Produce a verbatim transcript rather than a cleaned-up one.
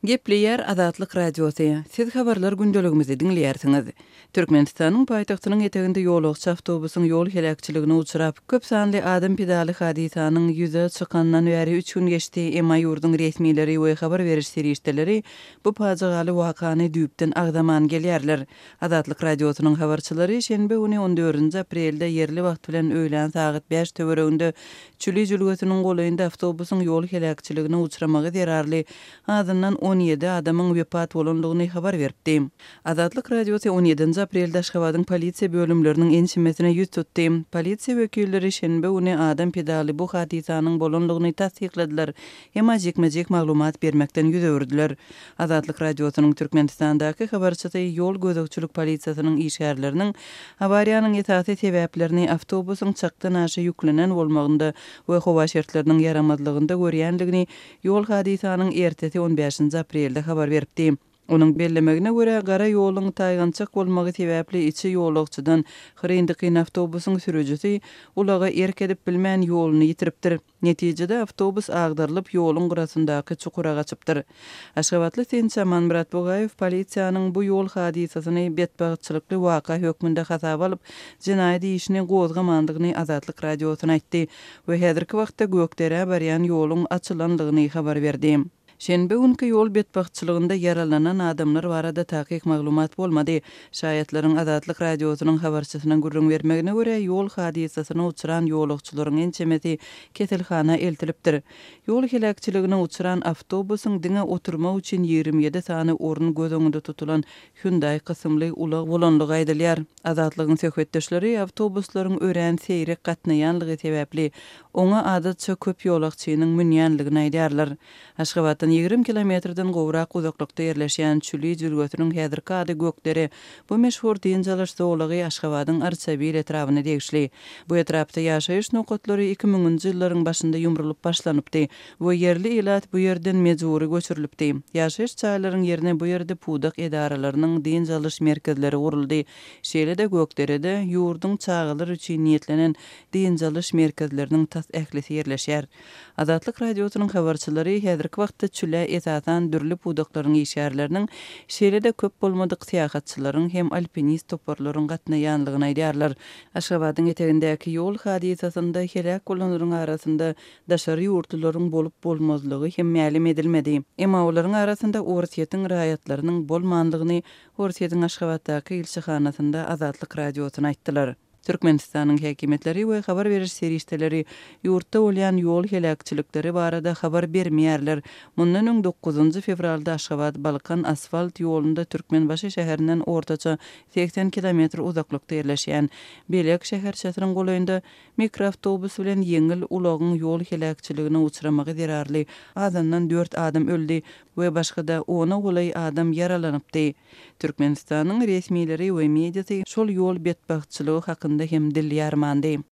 Gepleýär Azatlyk Radiosy. Siz habarlar gündeligimizi diňleýärsiňiz. Türkmenistanyň paýtagtynyň eteginde ýolagçy awtobusyň ýol heläkçiligine uçrap, köp sanly adam pidaly hadysanyň ýüze çykandan bäri üç gün geçdi, emma ýurduň resmileri we habar beriş serişdeleri bu pajygaly wakany düýpden agzaman gelýärler. Azatlyk Radiosynyň habarçylary şenbe güni on dördünji aprelde ýerli wagt bilen öýlän sagat bäş töwereginde Çüli jülgesiniň golaýynda awtobusyň ýol heläkçiligine uçramagy zerarly azyndan on ýedi adamyň wepat bolandygyny habar beripdi. Azatlyk Radiosy on ýedinji aprelde Aşgabadyň polisiýa bölümleriniň ençemesine ýüz tutdy. Polisiýa wekilleri şenbe güni adam pidaly bu hadysanyň bolandygyny tassykladylar, emma jikme-jik maglumat bermekden ýüz öwürdiler. Azatlyk Radiosynyň Türkmenistandaky habarçysy ýol gözegçilik polisiýasynyň işgärleriniň awariýanyň esasy sebäplerini awtobusyň çakdan aşa ýüklenen bolmagynda we howa şertleriniň ýaramazlygynda görýändigini ýol hadysanyň ertesi on bäşinji aprelde habar beripdi. Onuň bellemegine görä, gara ýoluň taýgançak bolmagy sebäpli içi ýolagçydan hyryn-dykyn awtobusyň sürüjisi ulaga erk edip bilmän ýoluny ýitiripdir. Netijede awtobus agdarylyp ýoluň gyrasyndaky çukura gaçypdyr. Aşgabatly synçy Amanmyrat Bugaýew polisiýanyň bu ýol hadysasyny betbagtçylykly waka hökmünde hasaba alyp, jenaýat işini gozgamandygyny Azatlyk Radiosyna aýtdy we häzirki wagtda Gökderä barýan ýoluň açylandygyny habar berdi. Şenbe günki ýol betbagtçylygynda ýaralanan adamlar barada takyk maglumat bolmady. Şaýatlaryň Azatlyk Radiosynyň habarçysyna gürrüň bermegine görä, ýol hadysasyna uçran ýolagçylaryň ençemesi keselhana eltilipdir. Ýol heläkçiligine uçran awtobusyň diňe oturmak üçin ýigrimi ýedi sany orun göz öňünde tutulan Hyundai kysymly ulag bolanlygy aýdylýar. Azatlygyň söhbetdeşleri awtobuslaryň örän seýrek gatnaýanlygy sebäpli oňa adatça köp ýolagçynyň münýänligini aýdýarlar. Aşgabatdan ýigrimi kilometrden gowrak uzaklykda ýerleşýän Çüli jülgesiniň häzirki ady Gökdere. Bu meşhur dynç alyş zolagy Aşgabadyň Arçabil etrabyna degişli. Bu etrapda ýaşaýyş nokatlary iki müňünji ýyllaryň başynda ýumrulyp başlanypdy we ýerli ilat bu ýerden mejbury göçürilipdi. Ýaşaýyş jaýlaryň ýerine bu ýerde pudak edaralarynyň dynç alyş merkezleri guruldy. Şeýle-de Gökderede ýurduň çagalar üçin niýetlenen dynç alyş merkezleriniň tas ählisi ýerleşýär. Azatlyk Radiosynyň habarçylary häzirki wagtda çüle esasan dürli pudaklaryň işgärleriniň, şeýle-de köp bolmadyk syýahatçylaryň hem alpinist toparlaryň gatnaýanlygyny aýdýarlar. Aşgabadyň etegindäki ýol hadysasynda heläk bolanlaryň arasynda daşary ýurtlularyň bolup bolmazlygy hem mälim edilmedi. Emma olaryň arasynda Orsýetiň raýatlarynyň bolmanlygyny Orsýetiň Aşgabatdaky ilçihanasynda Azatlyk Radiosyna aýtdylar. Türkmenistanyň häkimiýetleri we habar beriş serişdeleri ýurtda bolýan ýol heläkçilikleri barada habar bermeýärler. Mundan öň dokuzynjy fewralda Aşgabat-Balkan asfalt ýolunda Türkmenbaşy şäherinden ortaça segsen kilometr uzaklykda ýerleşýän Belek şäherçesiniň golaýynda mikroawtobus bilen ýeňil ulagyň ýol heläkçiligine uçramagy zerarly azyndan dört adam öldi we başga-da ona golaý adam ýaralanypdy. Türkmenistanyň resmileri we mediasy şol ýol betbagtçylygy hakynda hem dil ýarmandy.